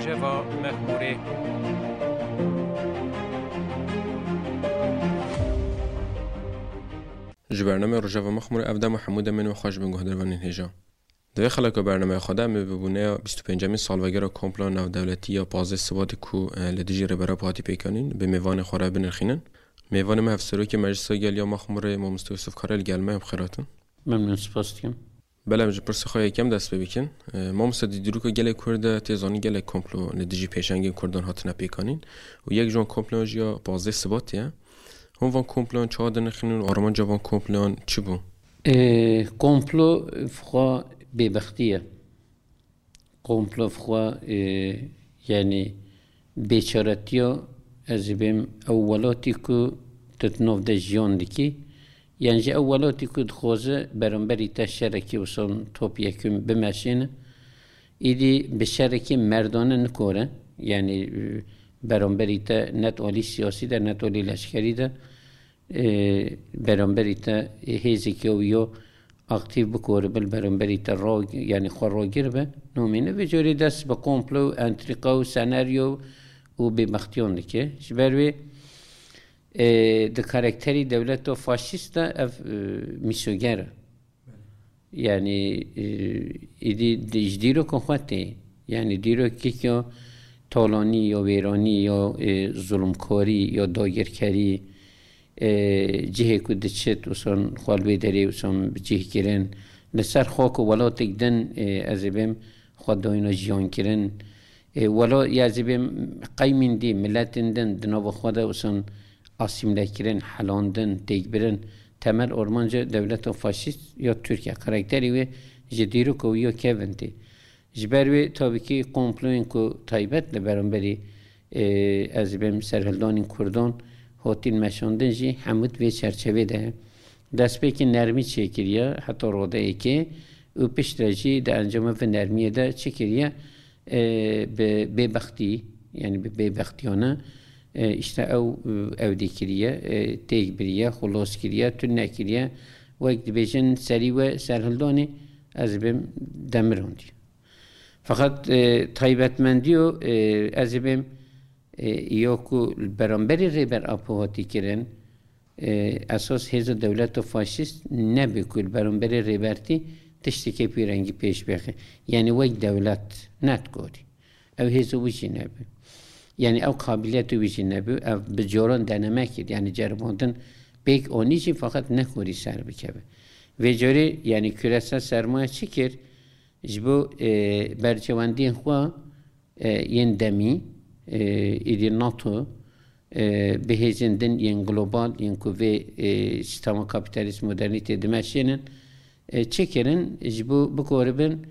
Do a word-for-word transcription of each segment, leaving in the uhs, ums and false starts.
Rojeva Mexmûrê. Ji bernameya Rojeva Mexmûrê ev dema hemû demên we xweş bin guhdarvanên hêja. Di vê xeleka bernameya xwe de em ê bi bûneya bîst û pêncemîn salvegera komploya navdewletî ya pazdeh Sibatê ku, e, li dijî Rêber Apo hatî pêkanîn, bi mêvanê xwe re binirxînin. Mêvanê me Hevserokê Meclisa Gel ya Mexmûrê, Mamoste Yusuf Kara li gel me, em xêr hatin. Memnûn, spas dikim. Belê, em ji pirsê xwe yekem dest pê bikin. E, mamoste, di dîroka gelê Kurd de tê zanîn gelek komplo li dijî pêşengên Kurdan hatine pêkanîn û yek ji wan komployan jî ya pazdeh Sibatê ye. Hûn van komployan çawa dinirxînin û armanca van komployan çi bû? E, komplo xwe bêbextî ye. Komplo xwe, e, yanî bêçaretiya, ez ê bêm, ew welatî ku tu di nav de jiyan dikî, yan jî ew welatî ku dixwaze beramberî te şerekî wisa top yekûn bimeşîne, îdî bi şerekî merdane nikore, yanî, e, beramberî te ne di alî siyasî de, ne di alî leşkerî de, e, beramberî te, e, hêzeke wî yo aktîf bikore, bil beramberî te ra, yanî xwe ragir be, namîne. Vê carê dest bi komplo û entrîka û senaryo û bêbextiyan dike. Ji ber wê, e, di karakterî dewleta faşîst de ev, e, mîsoger e. Yanî, e, êdî di, ji dîroka xwe tê. Yanî dîrokek ya talanî, ya wêranî, ya, e, zulmkarî, ya dagirkerî, e, cihê ku diçit, wisa xwe li wê derê wisa bi cih kirin. Li ser xak û welatek din, e, ez ê bêm xwe dayîna jiyan kirin. E, wela, ya ez ê bêm qewmên dî, miletên din di nava xwe de wisa asîmle kirin, helandin, têkbirin. Temel armanca dewleta faşîst ya Tirkiye. Karakterê wê ji dîroka wî ya kevin tê. Ji ber wê tabî kî komployên ku taybet li beramberî, e, ez ê bêm serhildanên Kurdan hatîn meşandin jî hemû di vê çerçevê de ye. Destpêkê nermî çêkiriye heta radeyekê û piştre jî di encama vê nermiyê de çi kiriye? E, bi bêbextî, yanî bi bêbextiyane, e, îşte ew, e, ewdî kiriye, e, têk biriye, xulos kiriye, tune kiriye. Wek dibêjin serî we serhildanê, ez ê bêm demirandî. Feqet, e, taybetmendiyo, e, ez ê bêm, e, ya ku li beramberî Rêber Apo hatî kirin, e, esas hêza dewleta faşîst nebû ku li beramberî Rêbertî tiştekê pîrengî pêş bixe. Yanî wek dewlet nedikarî. Ew hêza wî jî nebû. Yanî ew qabiliyeta wî jî nebû. Ev bi caran deneme kir. Yanî ceribandin pêk anî jî feqet nekarî ser bikeve. Vê carê, yanî küresel sermaye çi kir? Ji bo, e, berjewendiyên xwe, e, yên demî, e, êdî NATO, e, bi hêzên din yên global, yên ku vê, e, sîstema kapîtalîst modernîtê dimeşînin, e, çi kirin? Ji bo bikoribin,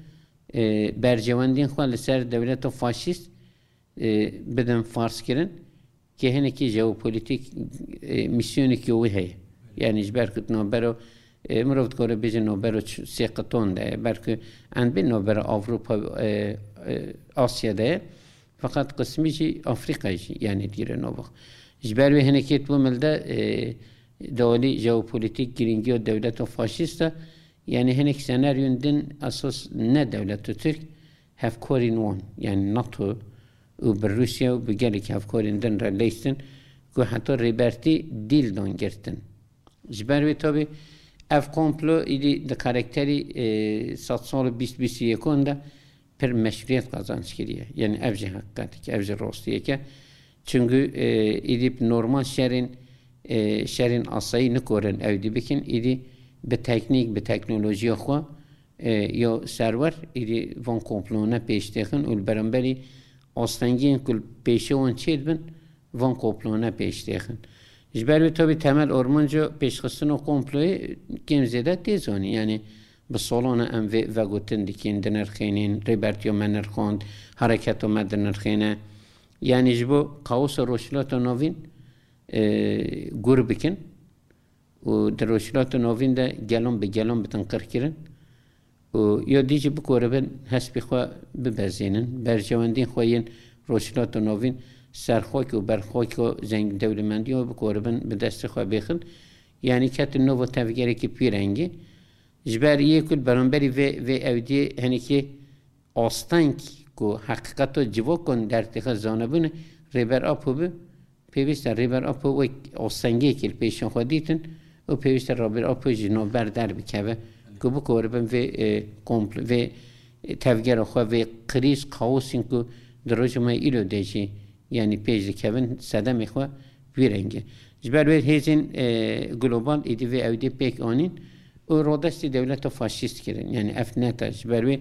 e, berjewendiyên xwe li ser dewleta faşîst, e, bidin farzkirin. Ke hinekî jeopolitîk, e, mîsyonekî wî heye. Yanî ji ber ku navbera, e, mirov dikare bêje navbera ç-, sê qiton de ye. Belkî endbê navbera Ewropa, e, e, Asya de ye. Feqet qismî jî Afrîkayê jî, yanî digire navbera. Ji ber wê hinekî tu milde, e, di alî jeopolitîk girîngiya dewleta faşîst de, yanî hinek senaryon din esas ne dewleta Tirk, hevkarên wan, yanî NATO û bi Rûsya û bi gelek hevkarên din re leyştin ku heta Rêbertî dîl dan girtin. Ji ber wê tabî ev komplo êdî di karakterî, e, sedsala bîst bîst û yekan de pir meşrûyet qazanç kiriye. Yanî ev jî heqîqetek e, ev jî rastiyek e. Çunku, e, êdî bi normal şerên, e, şerên asayî nikorin ew dî bikin. Êdî bi teknîk, bi teknolojiya xwe, e, ya serwer, êdî van komployane pêş têxin û li beramberî astengiyên ku li pêşiya wan çêdibin, van komployane pêş têxin. Ji ber wê tabî temel armanca pêşxistina komployê kêm zêde tê zanîn. Yanî bi salan e em vê vegotin dikin, dinirxînin, Rêbertiya me nirxand, hereketa me dinirxîne. Yanî ji bo kaosa Rojhilata Navîn, e, gur bikin û di Rojhilata Navîn de gelan bi gelan bitin qirkirin û ya dî jî bikoribin hespê xwe bibezînin, berjewendiyên xwe yên Rojhilata Navîn ser xak û ber xaka zeng-, dewlemendiya bikoribin bi destê xwe bêxin. Yanî ketin nava tevgerekî pîrengî. Ji ber yê ku li beramberî vê, vê ewdiyê hinekî asteng ku heqîqeta civakan dertê xwe zanebûne, Rêber Apo bi, pêwîst e Rêber Apo wek astengekê li pêşa xwe dîtin û pêwîst e Rêber Apo ji navber derbikeve ku bikore bin vê, e, kompl-, vê, e, tevgera xwe, vê krîz, kaosên ku di roja me îro de jî, yanî pêş dikevin, sedemê xwe wî rengî. Ji ber wê hêzên, e, global êdî vê ewdî pêk anîn û rodestî dewleta faşîst kirin. Yanî ev net e. Ji ber wê,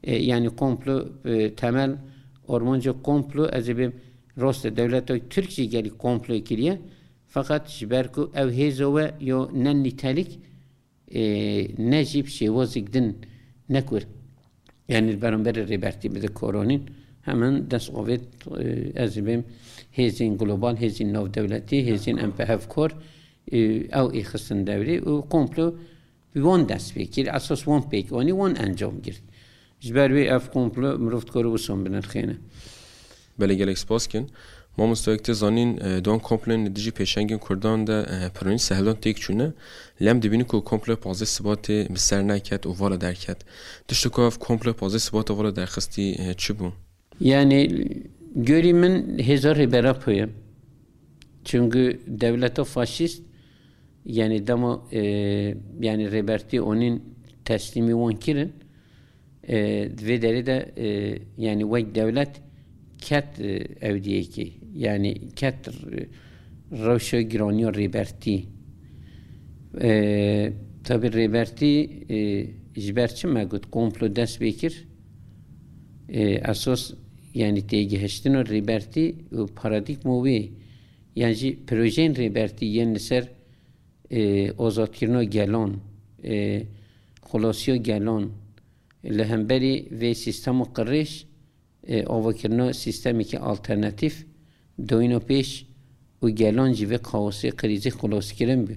e, yanî komplo, e, temel, armanca komplo, ez ê bêm, rast e, dewleta Tirk jî gelî komplo kiriye. Feqet ji ber ku ew hêza we yo ne nîtelik, e, ne jî bi şêwazek din, ne ku, yanî li beramberê Rêbertî bide koronîn, hemen dest avêt, e, ez ê bêm hêzên global, hêzên navdewletî, hêzên em bi hevkar, e, ew ê xistin dewrê û komplo bi wan dest pê kir, esas wan pêk anî, wan encam girt. Ji ber wê ev komplo mirov dikare wisa binirxêne. Belê, gelek spas kin. Mamoste, wek tê zanîn, e, di wan komployên li dijî pêşengên Kurdan de, e, piranî serhildan têk çûne. Lê em dibînin ku komploya pazdeh Sibatê bi ser neket û vala derket. Tiştê ku ev komploya pazdeh Sibatê vala derxistî, e, çi bû? Yanî, gorî min hêza Rêber Apo ye. Çunku dewleta faşîst, yanî dema, e, yanî Rêbertî onîn teslîmî wan kirin, e, di vê derê de, e, yanî wek dewlet ket, e, ewdiyekê, yanî ket, e, rewşa giraniya Rêbertî. E, tabî Rêbertî, e, ji ber çi me got komplo dest pê kir? E, esas, yanî têgihiştina Rêbertî û paradîgma wê, yan jî projeyên Rêbertî yên li ser, e, azadkirina gelan, e, xulasiya gelan, li hemberî vê sîstema qirêj, e, avakirina sîstemekî alternatîf, doyîna pêş û gelan ji vê kaosê, krîzê xelaskirin bû.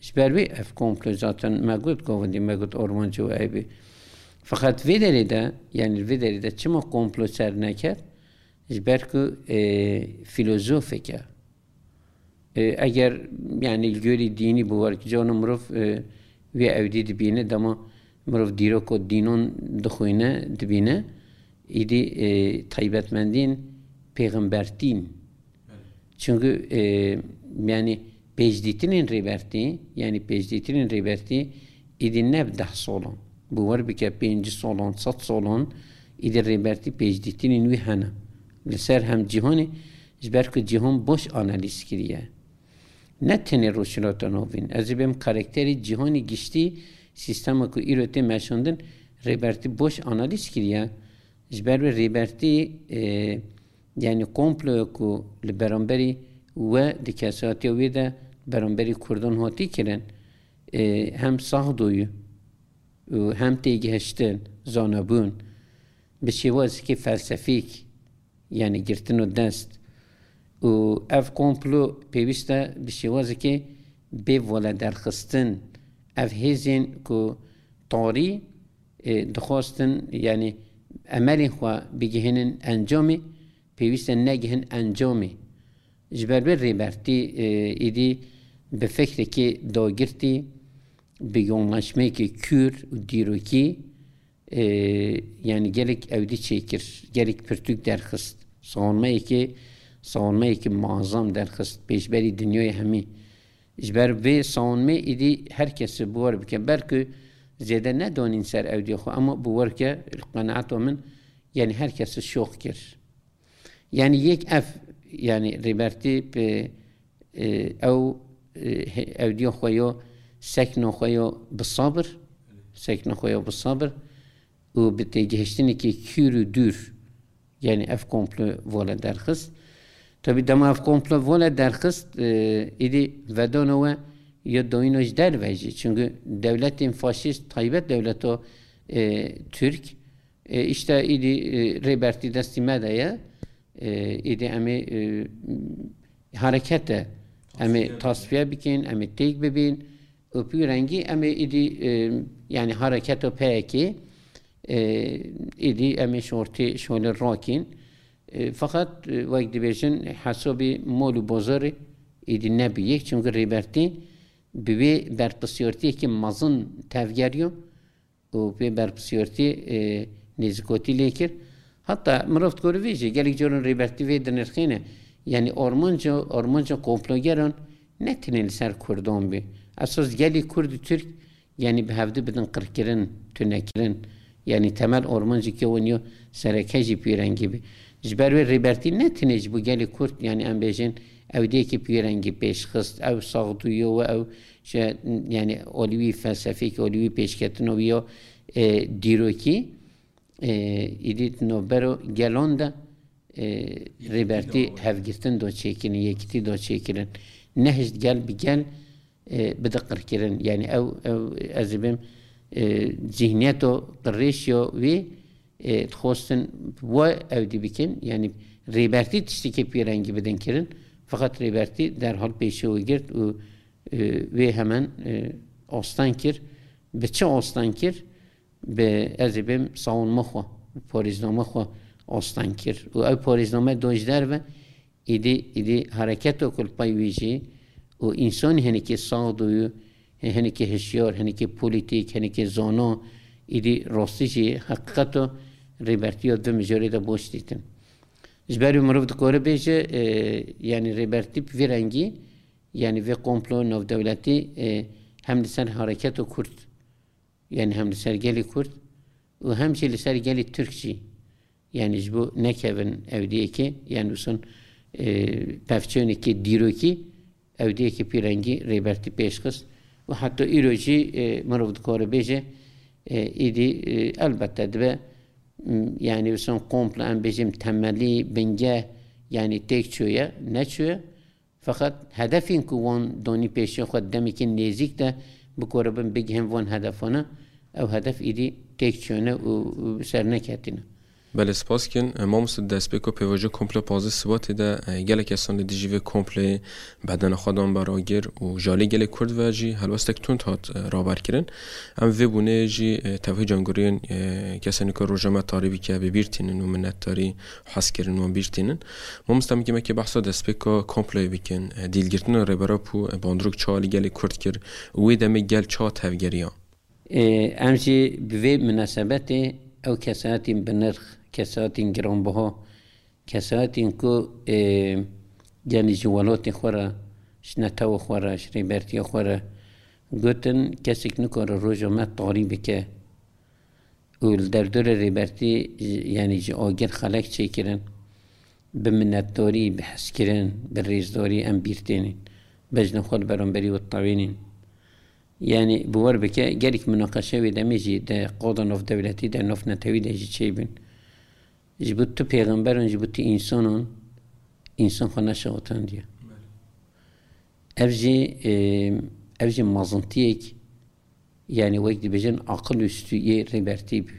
Ji ber wê ev komplo zaten me got, govendî me got, armanca wê ev bû. Feqet vê derê de, yanî vê derê de çima komplo ser neket? Ji ber ku, e, fîlozofek e. E, eger, yanî, li gorî dînî bi wergicana mirov, e, wê ewdî dibîne, dema mirov dîroka dînan dixwîne, dibîne, îdî, e, taybetmendiyên pêxembertîn. Çunku, e, yanî, pêşdîtinên Rêbertî, yanî pêşdîtinên Rêbertî îdî ne bi deh solan. Bi wer bike pêncî solan, sed solan, îdî Rêbertî pêşdîtinên wî hene. Li ser hem cîhanê, ji ber ku cîhan boş analîz kiriye. Ne tenê Rojhilata Navîn. Ez ê bêm karakterê cîhanê giştî, sîstema ku îro tê meşandin, Rêbertî boş analîz kiriye. Ji ber wê Rêbertî, e, yanî komploya ku li beramberî we di kesatiya wê de beramberî Kurdan hatî kirin, e, hem saxdoyî û hem têgihiştin, zanebûn, bi şêwazekî felsefîk, yanî girtino dest. Û ev komplo pêwîst e bi şêwazekê bê vala derxistin. Ev hêzên ku tarî, e, dixwastin, yanî emelên xwe bigihînin encamê, pêwîst e negihin encamê. Ji ber vê Rêbertî, e, êdî bi fikrekê dagirtî, bi yonlaşmeyekê kûr û dîrokî, e, yanî gelek ewdî çêkir, gelek pirtûk derxist. Savunmeyekê, savunmeyekê muazzam derxist pêşberî dinyayê hemî. Ji ber vê savunmê êdî her kesî bi wer bike. Belkî zêde nedanîn ser ewdiya xwe, ama bi wer ke, li qenaeta min, yanî her kesî şoq kir. Yanî yek ev, yanî Rêbertî bi, e, ew, e, he-, ewdiya xwe ya, sekna xwe ya bi sabir, sekna xwe ya bi sabir û bi têgihiştinekî kûr û dûr, yanî ev komplo vale derxist. Tabî dema ev komplo vale derxist, e, êdî vedana we ya dayîna ji derve jî. Çunku dewletên faşîst, taybet dewleta, e, Tirk, e, îşte êdî, e, Rêbertî destî me de ye. E, êdî em ê, e, hereket e. Em ê tasfiye bikin, em ê têk bibin. Û pî rengî em ê êdî, e, yanî hareketa P Y K, e, êdî em ê şortê şolê rakîn. E, feqet, e, wek dibêjin, hesabê mol û bozorê êdî nebû yek. Çunku Rêbertî bi wê berpirsiyartiyekî mezin tevgeriyo û wê berpirsiyartî, e, nêzîkotî lê kir. Hatta mirov dikore vê jî gelek caran Rêbertî vê dinirxîne. Yanî armanca, armanca komplogeran ne tenê li ser Kurdan bî. Esas gelê Kurd û Tirk, yanî bi hevdu bidin qirkirin, tunekirin. Yanî temel armanceke wan ya sereke jî pîrengî bî. Ji ber wê Rêbertî ne tenê ji bo gelê Kurd, yanî em bêjin ewdiyekî pîrengî pêş xist, ew saxdûyê we, ew ji, yanî alî wî felsefeyekî, alî wî pêşketina wî ya, e, dîrokî, e, êdî di navbera gelan de, e, Rêbertî hevgirtin da çêkirin, yekîtî da çêkirin. Nehişt gel bi gel, e, bide qirkirin. Yanî ew, ew, ez ê bêm, e, zihniyeta qirêş ya wî, e, dixwestin we ewdî bikin. Yanî Rêbertî tiştekî pîrengî bidin kirin. Feqet Rêbertî derhal pêşiya wî girt û, e, wê hemen, e, astan kir. Bi çi astan kir? Bi, ez ê bêm, savunma xwe, parêzname xwe astan kir. Û ew parêzname da ji derve, îdî, îdî hereketa ku li pey wî jî û însanî hinekî saxdûyû, hinekî hişyar, hinekî polîtîk, hinekî zana, îdî rastî jî heqîqeta Rêbertî ya di vê mijarê de baş dîtin. Ji ber wî mirov dikare bêje, e, yanî Rêbertî bi vî rengî, yanî vê komplo navdewletî, e, hem li ser hareketa Kurd, yanî hem li ser gelê Kurd û hem jî li ser gelê Tirk jî. Yanî ji bo nekevin ewdiyekê, yanî wisa, e, pevçûnekê dîrokî, ewdiyekî pîrengî Rêbertî pêş xist û heta îro jî, e, mirov dikare bêje, e, îdî, e, elbette dibe, m, yanî wisa komplo em bêjin temelî, bingeh, yanî têk çûye, neçûye. Feqet hedefên ku wan danî pêşiya xwe demekî nêzîk de bikoribin bigihin van hedefane, ew hedef îdî têk çûne û, û bi ser neketîne. Belê, spas dikin. E, mamoste, destpêka pêvajoya komplo pazdeh Sibatê de, e, gelek kesan li dijî vê komployê bedena xwe dan beragir û ji alî gelê Kurd ve jî helwestek tund hat, e, raber kirin. Em vê bûnê jî, e, tevhî cangiriyên, e, kesên ku roja me tarî bike bi bîr tînin û minetdarî hezkirin wan bîr tînin. Mamoste, em hikî mekî behsa destpêka komployê bikin. E, dîlgirtina Rêber Apo, e, bandorek çawa li gelê Kurd kir û wê demê gel çawa tevgeriya? E, em jî bi vê minasebetê ew kesayetên bi nirx, kesayetên giranbiha, kesayetên ku, e, yanî ji welatê xwe re, ji netewa xwe re, ji rêbertiya xwe re gotin, kesek nikare roja me tarî bike. Û li derdorê Rêbertî, yanî ji agir xelek çêkirin, bi minetdarî, bi hezkirin, bi rêzdarî em bîr tênin. Bejna xwe li beramberî wî tewênîn. Yanî bi wer bike, gelek minaqeşe wê demê jî di qada navdewletî de, navnetewî de jî çêbûn. Ji bo tu pêxemberan, ji bo tu însanan, însan xwe neşewitandiye. Ev jî, e, ev jî mezintiyek, yanî wek dibêjin aqil û stûyê Rêbertî bû.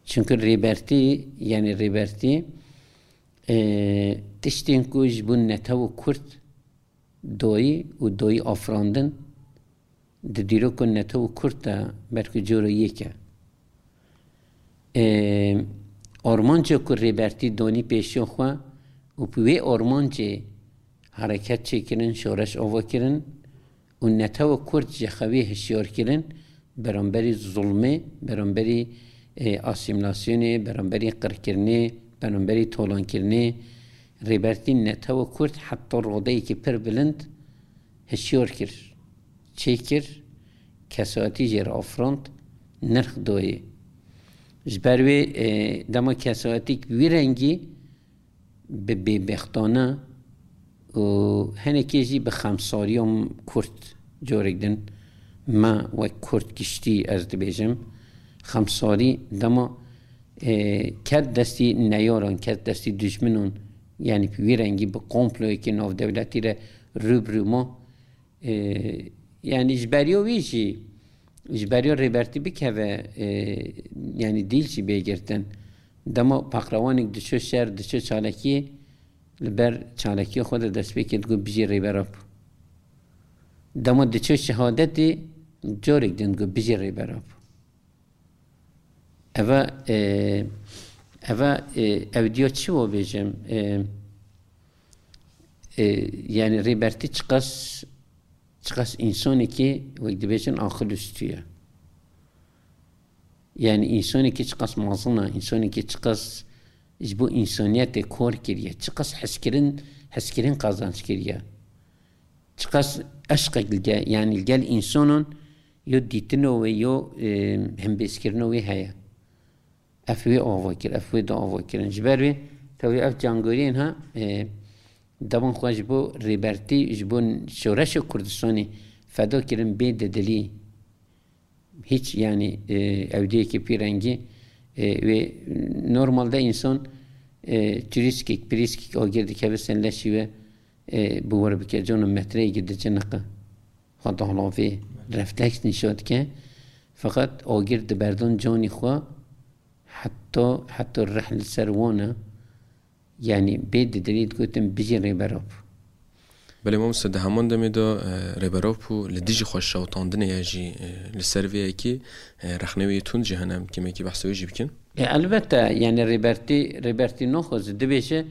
Çunku Rêbertî, yanî Rêbertî, e, tiştên ku ji bo netew û Kurd dayî û dayî afirandin, di dîrok û netew û Kurd de belkî cora yek e. E, armanca ku Rêbertî danî pêşiya xwe û bi wê armancê hereket çêkirin, şoreş ava kirin û netewa Kurd ji xewê hişyar kirin, beramberî zulmê, beramberî, e, asîmîlasyonê, beramberî qirkirinê, beramberî talankirinê, Rêbertî netewa Kurd heta radeyekî pir bilind hişyar kir, çêkir, kesayetî jê re afirand, nirx dayê. Ji ber wê, e, dema kesayetîk wî rengî bi bêbextane û hinekê jî bi xemsariya Kurd, carek din me wek Kurd giştî ez dibêjim, xemsarî dema, e, ket destî neyaran, ket destî dijminan, yanî bi wî rengî bi komployekî navdewletî re rû bi rû ma, e, yanî ji beriya wî jî, ji beriya Rêbertî bikeve, e, yanî dîl jî bê girtin. Dema paqrewanek diço şer, diço çalakiyê, li ber çalakiya xwe de destpêkê digot, "Bijî Rêber Apo." Dema diço şehadetê, carek din digot, "Bijî Rêber Apo." Eva, e, eva, e, ew diya çi wa bêjim? E, e, yanî Rêbertî çiqas, çiqas însanekî wek dibêjin aqil û stû ye. Yani însanekî çiqas mezin e, însanekî çiqas ji bo însaniyetê kar kiriye, çiqas hezkirin, hezkirin qazanc kiriye, çiqas eşqek li gel, yani li gel însanan yo dîtino wê, yo, e, hembêzkirino wê heye. Ev wê ava kir, ev wê da ava kirin. Ji ber wê tewî ev cangoriyên ha, e, devan xwe ji bo rêbertî, ji bo şoreşa Kurdistanê feda kirin bê didilî. Hiç, yani, e, ewdiyekî pîrengî, e, wê normalde însan, e, turîskek, pirîskek agir dikeve ser leşî we, e, bi wir bike, cana metreyekî diciniqe. Xwe dalavê refleks nîşa dike. Feqet agir diberdon canî xwe heta, heta rih li ser wan e. Yani bê didilî digotin bijî Rêber Apo. Belê mamoste, di heman demê de, e, Rêber Apo li dijî xwe şewitandinê ye jî, e, li ser vê yekê, e, rexne wê yê tund jî hene, em kêmekî behsa wê jî bikin. E, elbette, yani Rêbertî, Rêbertî naxwaze, dibêje,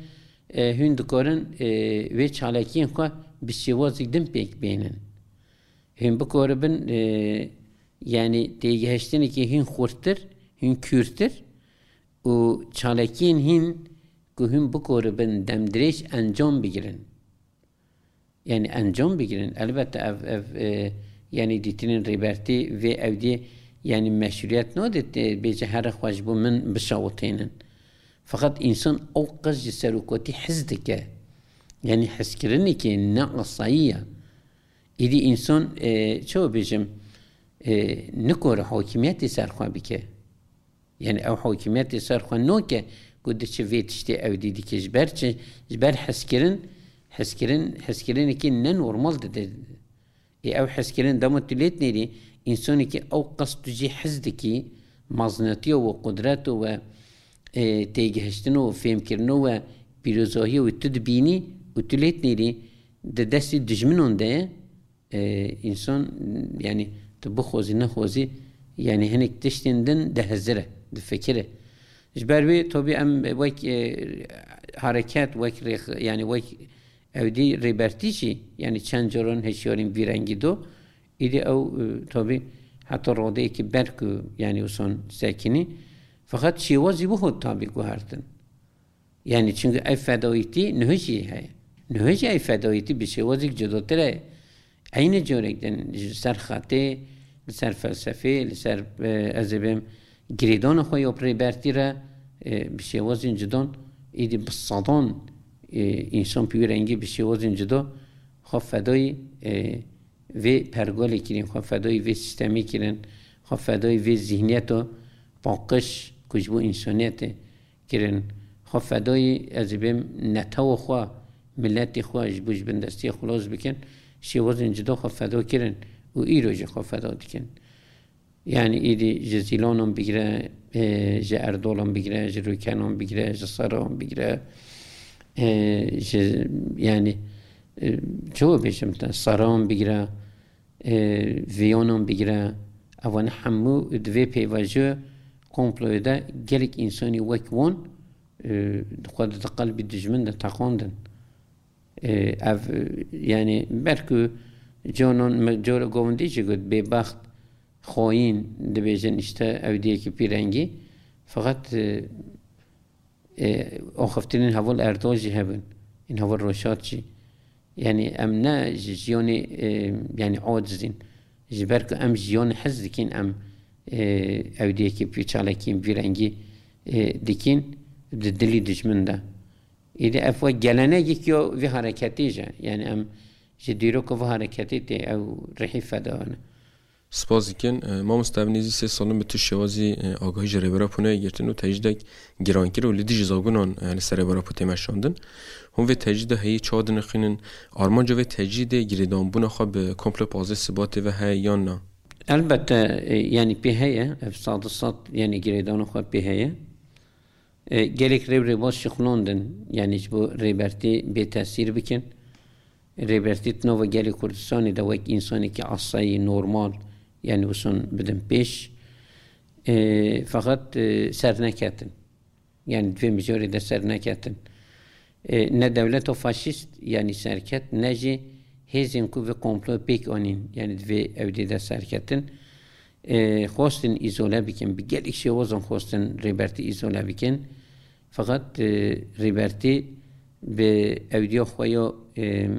e, hûn dikarin, e, wê çalakiyên xwe bi şêwazek din pêk bênin. Hûn bikaribin, e, yani têgihiştinekî hîn xurttir, hîn kûrtir û çalakiyên hîn ku hûn bikaribin demdirêj encam bigirin. Yani encam bigirin. Elbette ev, ev, e, yani dîtinên Rêbertî vê ewdiyê yani meşrûyet nade, e, bêje here xwe ji bo min bişewitênin. Feqet însan ew qas ji serokatî hez dike. Yani hezkirinekê ne asayî ye. Îdî însan, e, çawa bêjim, e, nikore hakimiyetê ser xwe bike. Yani ew hakimiyetê ser xwe noke ku diçe vê tiştê ewdî dike. Ji ber çi? Ji ber hezkirin, hezkirin, hezkirinekî ne normal dide. Ê ew hezkirin dema tu lê dinêrî, însanekî ew qas tu jê hez dikî, mezinatiya we, qudreta we, e, têgihiştina we, fêmkirina we, pîrozahiya we tu dibînî û tu lê dinêrî, di destê dijminan de ye, e, însan, yani tu bixwazî nexwazî, yani hinek tiştên din dihizire, difikire. Ji ber wê tabî em wek, e, hareket, wek rêx-, yani wek ewdî rêbertî jî, yani çend caran hişyarîn vî rengî do, îdî ew, e, tabî heta radeyekî ber ku yani wison sekinî, feqet şêwazî wiho tabî guhertin. Yani çünkü ev fedayîtî niho jî heye. Niho jî ev fedayîtî bi şêwazek cudatir e. Eynî carek din ji ser xetê, li ser felsefê, li ser, e, ez ê bêm girêdana xwe ya bi rêbertî re, e, bi şêwazên cudan, îdî bi sedan, e, însan bi wî rengî bi şêwazên cuda xwe fedayî, e, vê pergalê kirin, xwe fedayî vê sîstemê kirin, xwe fedayî vê zihniyeta paqij ku ji bo însaniyetê kirin. Xwe fedayî, ez ê bêm netewa xwe, miletê xwe ji bo ji bindestiya xilas bikin, şêwazên cuda xwe feda kirin û îro jî xwe feda dikin. Yani îdî ji Zîlanan bigire, e, ji Erdolan bigire, ji Rûkenan bigire, ji Sarawan bigire, e, ji, yani, e, çawa bêjim te, Sarawan bigire, e, Viyanan bigire, evan hemû di vê pêvajoya komployê de gelek însanî wek wan, e, xwe di qelbî dijmin de teqandin. E, ev, e, yani belkû canan me cara govindî jî got, bêbext, xayîn, dibêjin işte ewdiyekî pîrengî. Feqet, e, e, axiftinên heval Erdal jî hebin. Ên heval Roşat jî. Yani em ne ji jiyanê, e, yani acizîn. Ji ber ku em jiyanê hez dikin, em, e, ewdiyekî pî çalakî vî rengî, e, dikin di dilî dijmin de. Îdî ev wek gelenegek yo vî hareketê jî. Yani em ji dîroka vî hareketê tê ew rihî feda ne. Spas dikin. E, mamoste, ev nêzî sê sal in bi tu şêwazî, e, agahî ji Rêber Apo neyê girtin û tecrîdek girankir û li dijî zagonan, e, li ser Rêber Apo tê meşandin. Hûn vê tecrîda heyî çawa dinirxînin? Armanca vê tecrîdê girêdanbûna xwe bi komplo pazdeh Sibatê ve heye yan na? Elbette, e, yani pê heye, ev sed sed, yani girêdana xwe pê heye. E, gelek rêw rêbaz şixulandin, yani ji bo rêbertî bê tesîr bikin. Rêbertî di nava gelê Kurdistanê de wek însanekî asayî, normal, yani wison bidin pêş. E, feqet, e, ser neketin. Yani di vê mijarê de ser neketin. E, ne dewleta faşîst, yani serket, ne jî hêzên ku vê komployê pêk anîn, yani di vê ewdê de serketin. e, xwestin îzole bikin, bi gelek şêwazan xwestin Rêbertî îzole bikin. Feqet, e, Rêbertî bi ewdiya xwe ya, e,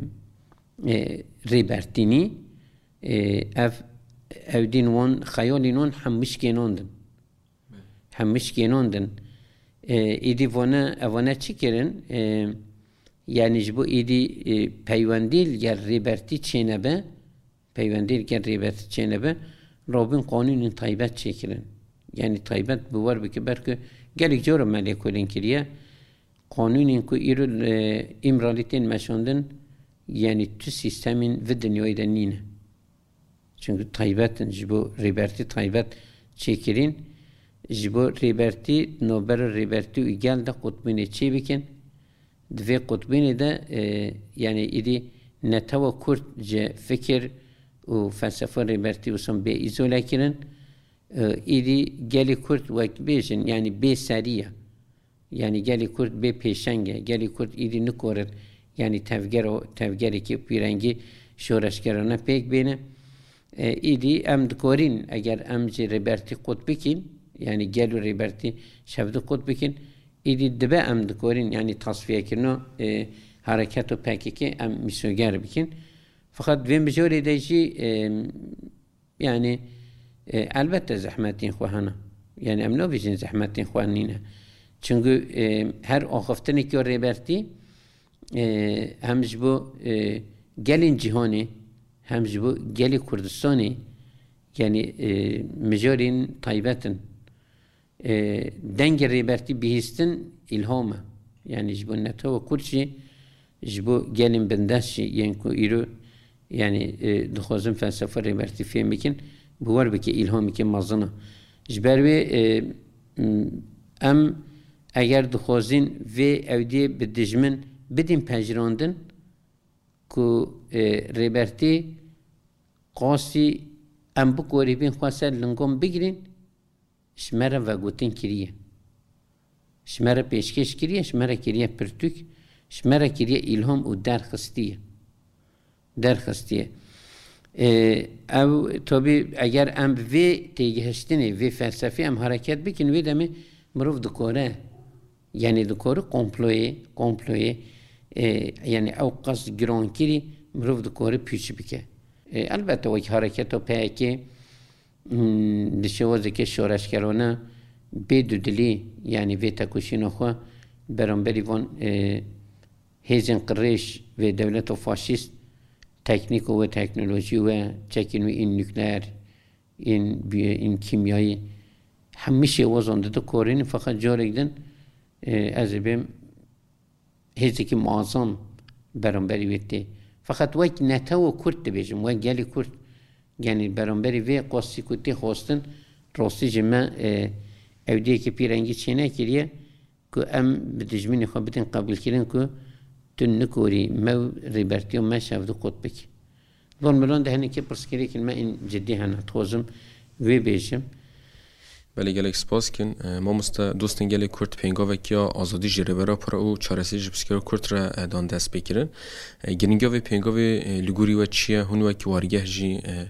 e, Rêbertînî, e, ev ewdîn wan, xeyalîn wan hemû şikênandin. Hemû şikênandin. E, êdî vane, evane çi kirin? E, yanî ji bo êdî, e, peywendî li gel Rêbertî çênebe, peywendî li gel Rêbertî çênebe, rabûn qanûnên taybet çêkirin. Yanî taybet bi wer bike, belkî gelek cara me lêkolîn kiriye. Qanûnên ku îro, e, Îmralî tên meşandin, yanî tu sîstemên vi dinyayê de nîne. Çimkî taybet in, ji bo Rêbertî taybet çêkirîn, ji bo Rêbertî, navbera Rêbertî û gel de qutbînê çêbikin. Di vê qutbînê de, e, yanî êdî netewa Kurd ji fikir û felsefa Rêbertî wisa bê îzole kirin. E, êdî gelê Kurd wek bêjin, yanî bê serî ye. Yanî gelê Kurd bê pêşeng e. Gelê Kurd êdî nikorit, yanî tevgero-, tevgerekî pîrengî şoreşgerane pêk bêne. E, êdî em dikorîn, eger em jî Rêbertî qut bikîn, yanî gel û Rêbertî şevdi qut bikîn, êdî dibe em dikorîn, yanî tasfiyekirina, e, hereket û P K K em mîsoger bikîn. Feqet vê mijorê de jî, e, yanî, e, elbette zehmetên xwe hene. Yanî em nabêjin zehmetên xwe nîne. Çimkî, e, her axiftinekî Rêbertî, e, hem ji bo, e, gelên cîhanê, hem ji bo gelê Kurdistanê, yanî, e, mijorên taybet in. E, dengê Rêbertî bihîstin îlham e. Yanî ji bo netewa Kurd jî, ji bo gelên bindest jî yên ku îro, yanî, e, dixwazin felsefa Rêbertî fêm bikin, bi wer bike îlhameke mezin e. Ji ber wê, e, m-, em eger dixwazin vê ewdiyê bi dijmin bidin pejirandin ku, e, Rêbertî qasî em bikorîbin xwe ser lingan bigrin, ji me re vegotin kiriye. Ji me re pêşkêş kiriye, ji me re kiriye pirtûk, ji me re kiriye îlham û derxistiye. Derxistiye. Ê, ew, tabî, eger em bi vê têgihiştinê, vê felsefê em hereket bikin, wê demê mirov dikore, yanî dikore komployê, komployê, ê, yanî ew qas girankirî mirov dikore pûç bike. Ê, elbette wek hareketa P K K, Hmm, di şêwazeke şoreşgerane bê dudilî, yanî vê tekoşîna xwe beramberî van, e, hêzên qirêj vê dewleta faşîst, teknîk û wê teknolojî wê çekên wê ên nukleer, ên bi-, ên kîmyayî, hemî şêwazan dide korînin, feqet carek din, e, ez ê bêm hêzekî muazzam beramberî wê tê. Feqet wek netewa Kurd dibêjim, wek gelê Kurd, yanî beramberî vê qasî ku tê xwestin, rastî ji me, e, ewdiyeke pîrengî çênekiriye ku em bi dijminê xwe bidin qebûlkirin ku tu nikorî me û rêbertiya me şevdu qut bikî. Van milan de hinekî pirsgirêkên me ên cidî hene. Dixwazim wê bêjim. Belê, gelek spas dikin. E, mamoste, dostên gelê Kurd pêngavek ya azadî ji Rêber Apo re û çareserî ji pirsgirêka Kurd re, e, dan dest pê kirin. E, giringiya vê pêngavê, e, li gorî we çi ye? Hûn wekî wargeh jî, e,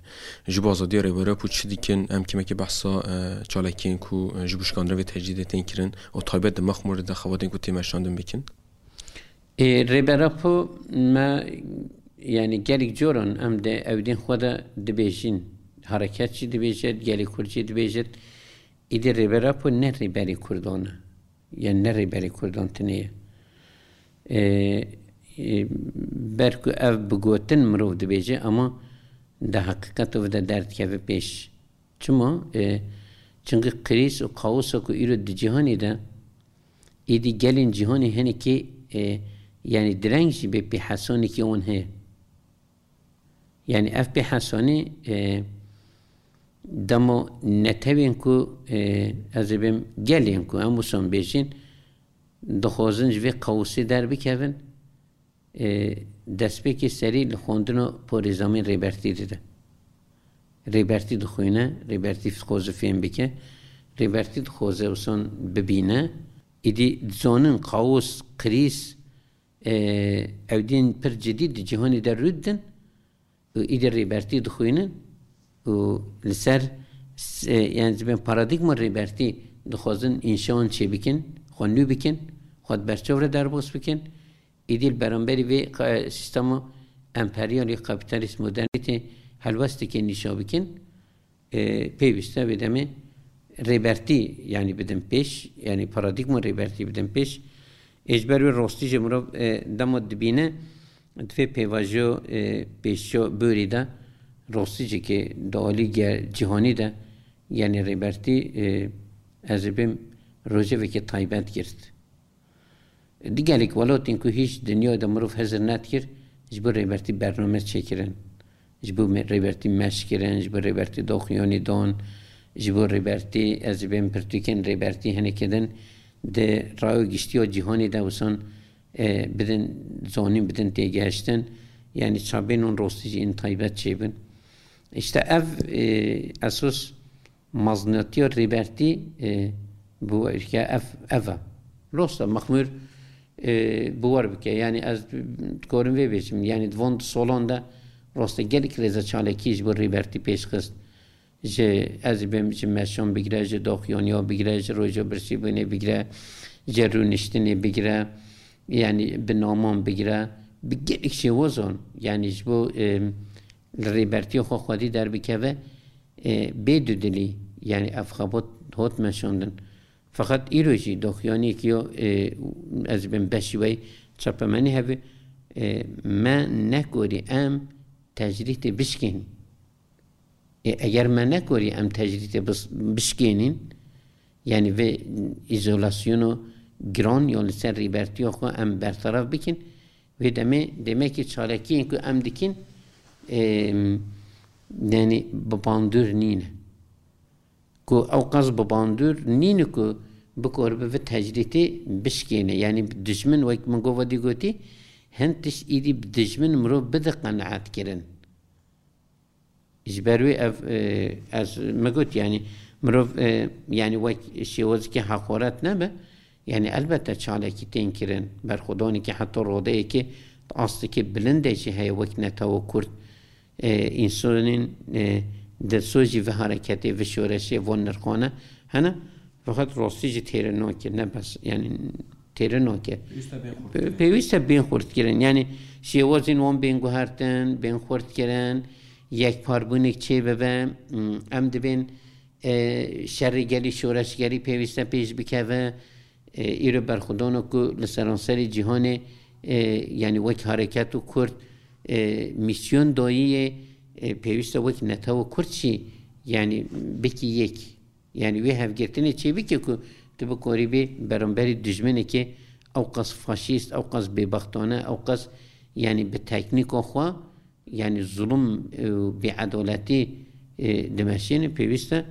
ji bo azadiya Rêber Apo çi dikin? Em kêmekê behsa, e, çalakiyên ku, e, ji bo şikandina vê tecrîdê tên kirin û taybet di Mexmûrê de xebatên ku tê meşandin bikin. Ê, Rêber Apo me, yanî gelek coran em di ewdên xwe de dibêjin, hereket jî dibêjit, gelê Kurd jî dibêjit, îdî Rêber Apo ne rêberê Kurdan e, yanî ne rêberê Kurdan tinê ye. Ê, ê, ber ku ev bi gotin mirov dibêje, ama di heqîqeta vê de derdikeve pêş. Çima? E, çimkî krîz û kaosa ku îro di cîhanê de, êdî gelên cîhanê hinekî, e, yanî direng jî bê pêhesanekî wan heye. Yanî ev pêhesanî, e, dema netewên ku, e, ez ê bêm gelên ku em wisa bêjin, dixwazin ji vê kaosê derbikevin, e, destpêkê serî li xwendina parêzamên Rêbertî dide. Rêbertî dixwîne, Rêbertî dixwaze fêm bike, Rêbertî dixwaze wisa bibîne. Îdî dizanin kaos, krîz, e, ewdên pir cidî di cîhanê de rû didin. Û îdî Rêbertî dixwînin û li ser s-, e, yani, ji bin paradîgma rêbertî dixwazin înşaan çêbikin, xwe nû bikin, xwe di berçav re derbas bikin. Êdî li beramberî vê qa-, sîstema emperyalî, kapîtalîst, modernîtê helwesteke nîşa bikin. E, pêwîst e vê demê rêbertî, yani, bidin pêş, yani, paradîgma rêbertî bidin pêş. Ê, ji ber wê rastî jî mirov, e, dema dibîne, di vê pêvajoya, e, pêşiya borî de, rastî jî ki di alî ge-, cîhanî de, yani, rêbertî, e, ez ê bêm rojevekê taybet girt. Di gelek welatên ku hîç dinya de mirov hizir nedikir, ji bo rêbertî bername çêkirin. Ji bo me-, rêbertî meş kirin, ji bo rêbertî doxuyanî dan, ji bo rêbertî, ez ê bêm pirtûkên rêbertî hinekê din di raya giştiya cîhanê de wisa, e, bidin zanîn, bidin têgihiştin. Yani çavên wan rastî jî ên taybet çêbin. Îşte ev, e, esas Mezinatiya rêbertî, e, bi we êrke ev, ev e. Rast e, Mexmûr, e, bi wer bike. Yani ez dikarim vê bêjim. Yani di van du solan de rast e gelek rêze çalakî ji bo rêbertî pêş xist. Ji, ez ê bêm ji meşan bigire, ji doxuyaniya bigire, ji roja birsîbûnê bigire, ji rûniştinê bigire, yani bi naman bigire, bi gelek şêwazan, yani ji bo, e, li rêbertiya xwe xwedî derbikeve, e, bê dudilî, yani ev xebat hat meşandin. Feqet îro jî doxuyaniyekî yo, e, ez bin beşî wey çapemenî hebe, e, me nekorî em tecrîtê bişkên. E, eger me nekorî em tecrîtê bis-, bişkênîn, yani vê îzolasyono giran ya li ser rêbertiya xwe em bertaraf bikin, Wê demê, demekî çalakiyên ku em dikin, êm, yani bi bandor nîne. Ku ew qas bi bandor nîne ku bikoribe vê tecrîtê bişkêne. Yani dijmin, wek min gova dî gotî, hin tişt îdî bi dijmin mirov bide qenaet kirin. Ji ber wê ev, e, ez me got, yani mirov, e, yani wek şêwazekî heqoret nebe, yani elbette çalakî tên kirin, berxwedanekî heta rodeyekê astekî bilind de jî heye wek netewa Kurd. E, însanên, e, dilsozî vê hareketê, vê şoreşê, van nirxane hene. Feqet rastî jî têre nake, ne bes, yani têre nake. Pêwîst e bên xurt kirin. Pêwîst e bên xurt kirin. Yani şêwazên wan bên guhertin, bên xurt kirin, yekparbûnek çê bibe. Hmm, em dibên, e, şerê gelî, şoreşgerî pêwîst e pêş bikeve. E, îro berxwedana ku li seranserê cîhanê, e, yani wek hareket û Kurd, e, mîsyon dayî yê, e, pêwîst e wek netewa Kurd jî, yani bikî yek. Yani wê hevgirtinê çêbike ku tu bikorî bê beramberî dijminekê ew qas faşîst, ew qas bêbextane, ew qas yani bi teknîka xwe yani zulm, e, û bêedaletî, e, dimeşîne, pêwîst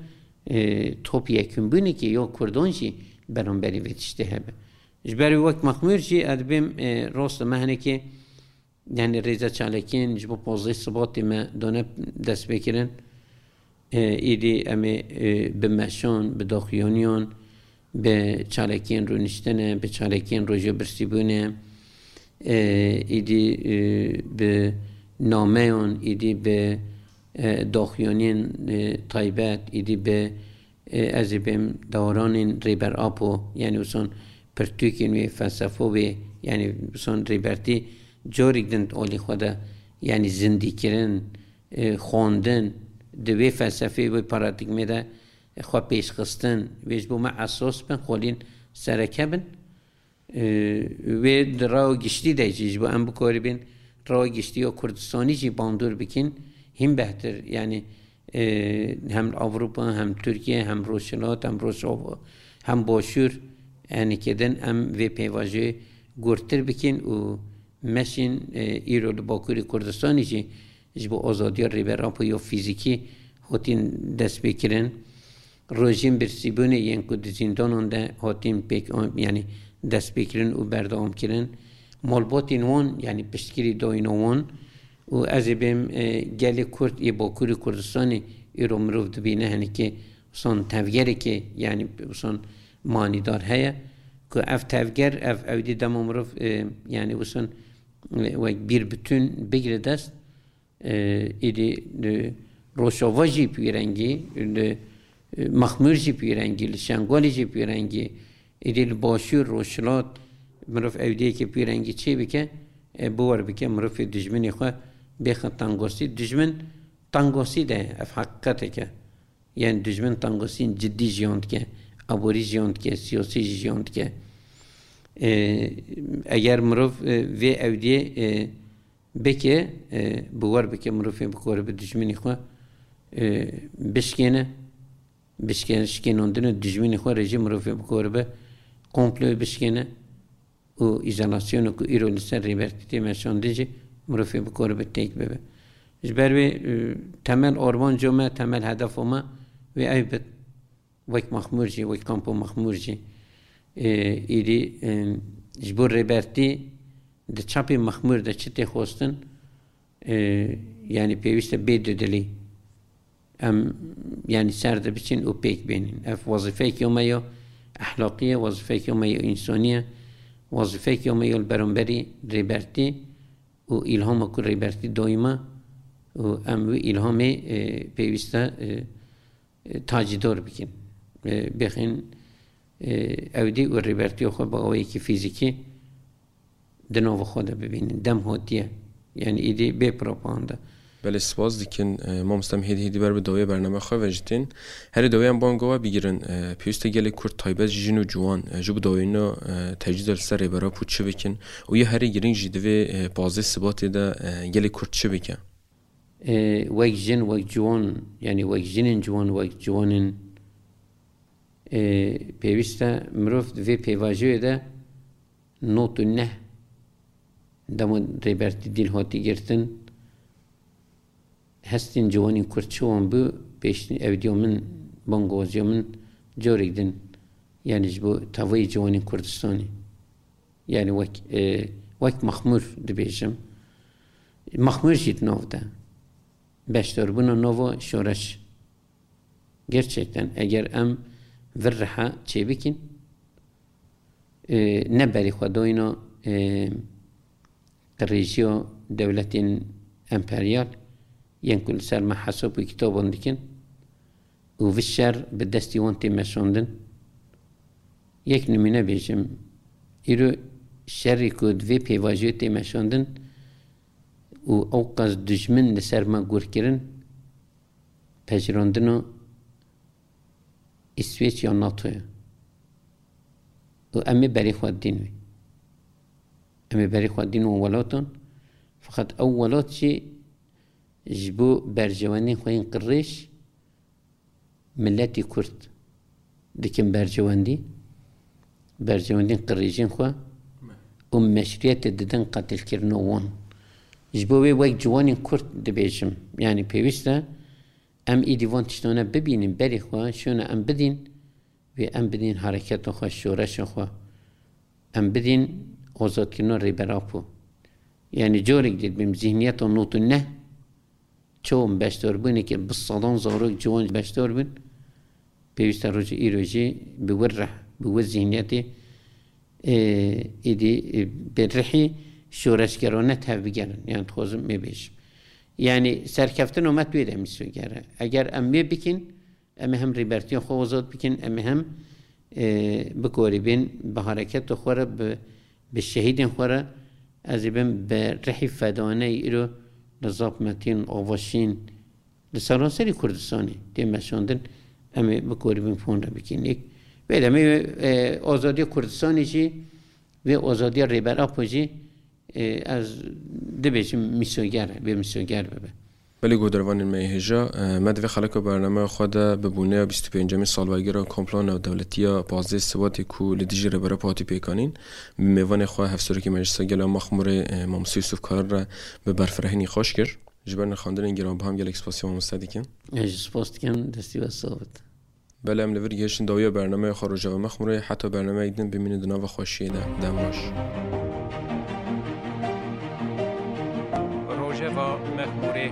e, e, top yekûnbûnekê ya Kurdan jî beramberî vê tiştê hebe. Ji ber wê wek Mexmûr jî ez dibêm, e, rast e me hinekê Yani rêze çalakiyên ji bo pozdeh Sibatê me dane destpêkirin. E, êdî em ê, e, bi meşan, bi daxuyaniyan, bi çalakiyên rûniştine, bi çalakiyên roja birsîbûnê, e, êdî, e, bi nameyan, êdî bi, e, daxuyaniyên, e, taybet, êdî bi E, ez ê bêm daranên Rêber Apo, yani wison pirtûkên wê, felsefo wê, yani wison Rêbertî carek din alî xwe de, yani zindîkirin, e, xwendin, di wê felsefê, wê paradîgmê de xwe pêşxistin, wê ji bo me esas bin, xwelîn sereke bin. Ee, wê di rawa giştî de jî ji bo em bikoribin rawa giştî ya Kurdistanî jî bandor bikin, hîn behtir. Yani, e, hem Ewropa, hem Tirkiye, hem Rojhilat, hem Rojava, hem Başûr, yani kedin em vê pêvajoyê gurtir bikin û meşin, e, îro li Bakurê Kurdistanî jî ji bo azadiya Rêber Apo ya fîzîkî hatin destpêkirin. Rojên birsîbûnê yên ku di zîndanan de hatin pêk, yani destpêkirin û berdewamkirin, malbatên wan, yani piştgirî dayîna wan û ez ê bêm, e, gelê Kurd ê Bakurê Kurdistanê îro mirov dibîne hinekê wisa tevgerekê, yani wisa manîdar heye ku ev tevger, ev ewdî dema mirov, e, yani wisa, e, wek bir bütün bigire dest, E, îdî li Rojava jî bi wî rengî, li e, Mexmûr jî pîrengî, li Şengalê jî pîrengî, êdî li Başûr, Rojhilat, mirov ewdiyeke pîrengî çê bike, e, biwer bike mirovê dijminê xwe bêxe tengosî. Dijmin tengosî de ye, ev heqîqetek e. Yani dijmin tengosîn cidî jiyan dike, aborî jiyan dike, siyasî jî jiyan dike. E, eger mirov, e, vê ewdiyê, e, bike, e, biwer bike mirovê bikore bi dijminê xwe, e, bişkêne, bişke-, şikênandina dijminê xwe re jî mirovê bikore bi komployê bişkêne û îzolasyonê ku îro li ser Rêbertî tê meşandin jî mirovê bikore bi têk bibe. Ji ber wê, e, temel armanca me, temel hedefa me wê ev bit. Wek Mexmûr jî, wek Kampo Mexmûr jî, e, êdî, e, ji bo Rêbertî di çapê Mexmûr de çi tê xwestin, e, yani pêwîst e bê dudilî. Em, yani ser de biçin û pêk bênin. Ev wezîfeyeke me ya ehlaqî ye, wezîfeyeke me ya însanî ye, wezîfeyeke me ya li beramberî Rêbertî û îlhama ku Rêbertî dayî me û em wî îlhamê, e, pêwîst e, e, e, tacîdar bikin. E, bêxin, e, ewdî û Rêbertiya xwe bi awayekî fîzîkî di nava xwe de bibînin. Dem hatiye. Yani êdî bê propaganda. Belê, spas dikin, e, mamoste, em hêdî hêdî ber bi dawiya bername xwe ve jî tên. Herî dawiya em banga we bigirin, e, pêwîst e gelê Kurd taybet jî jin û ciwan, e, ji bo dawîna, e, tecrîda li ser Rêber Apo çi bikin? Û ya herî girîng jî divê, e, pazdeh Sibatê de, e, gelê Kurd çi bike? E, wek jin, wek ciwan, yani wek jinên ciwan, wek ciwanên, e, pêwîst e mirov di vê pêvajoyê de nod û neh dema Rêbertî dîl hatî girtin, hestên ciwanên Kurd çi wan bû, pêştî ewdiya min, bangawaziya min carek din, yani ji bo tevayê ciwanên Kurdistanê. Yani wek, e, wek Mexmûr dibêjim. Mexmûr jî di nav de. Beşdarbûna nava şoreş. Gerçekten eger em vir reha çêbikin, e, ne berî xwe dayîna, e, qirêjiya dewletên emperyal yên ku li ser me hesab û kitaban dikin û vi şer bi destî wan tê meşandin. Yek nimûne bêjim, îro şerî ku di vê pêvajoyê tê meşandin û ew qas dijmin li ser me gur kirin, pejirandina Îswêç ya NATO ye. Û em ê berê xwe dîn wê. Em ê berê xwe dîn wan welatan. Feqet ew welat jî ji bo berjewendên xwe yên qirêj miletî Kurd dikin berjewendî. Berjewendên qirêjên xwe û meşrûyetê didin qetilkirina wan. Ji bo wê wek ciwanên Kurd dibêjim. Yani pêwîst e em êdî van tiştane bibînin, berê xwe şûna em bidîn, wê em bidîn hareketa xwe, şoreşa xwe. Em bidîn azadkirina Rêber Apo. Yani carek dî dibêm zihniyeta nod û neh, çawa beşdarbûnekê bi sedan zarok ciwan beşdar bûn, pêwîst e roja îro jî bi wir reh, bi wir zihniyetê, e, êdî, e, bi rihî şoreşgerane tevbigerin. Yani dixwazim mê bêjim. Yani serkeftina me tu wê de mîsoger e. Eger em wê bikin, em ê hem Rêbertiya xwe azad bikin, em ê hem, e, bikorîbin bi hareketa xwe re, bi, bi şehîdên xwe re, ez ê bim bi rihî fedaneyî îro li Zap Metîn, Avaşîn, li seranserî Kurdistanê tê meşandin, em ê bikorîbin fon re bikin. Yek, vê demê, e, azadiya Kurdistanê jî, vê azadiya Rêber Apo jî, e, ez dibêjim mîsoger e, bê mîsoger bibe. Belê guhdarvanên me yê hêja, e, me di vê xeleka bernameya xwe de bi bûneya bîst û pêncemîn salvegera komploya navdewletî ya pazdeh Sibatê ku li dijî Rêber Apo hatî pêkanîn, bi mêvanê xwe Hevserokê Meclisa Gel a Mexmûrê, e, Mamoste Yusuf Kayar re bi berfirehî nîqaş kir. Ji ber nirxandinên giranbiha em gelek spasiya mamoste dikin. Ez jî spas dikim, destî we sax bit. Belê, em li vir gihiştin dawiya bernameya xwe Rojeva Mexmûrê. Heta bernameyek din bimînin di nava xweşiyê de. Dem baş. Rojeva Mexmûrê.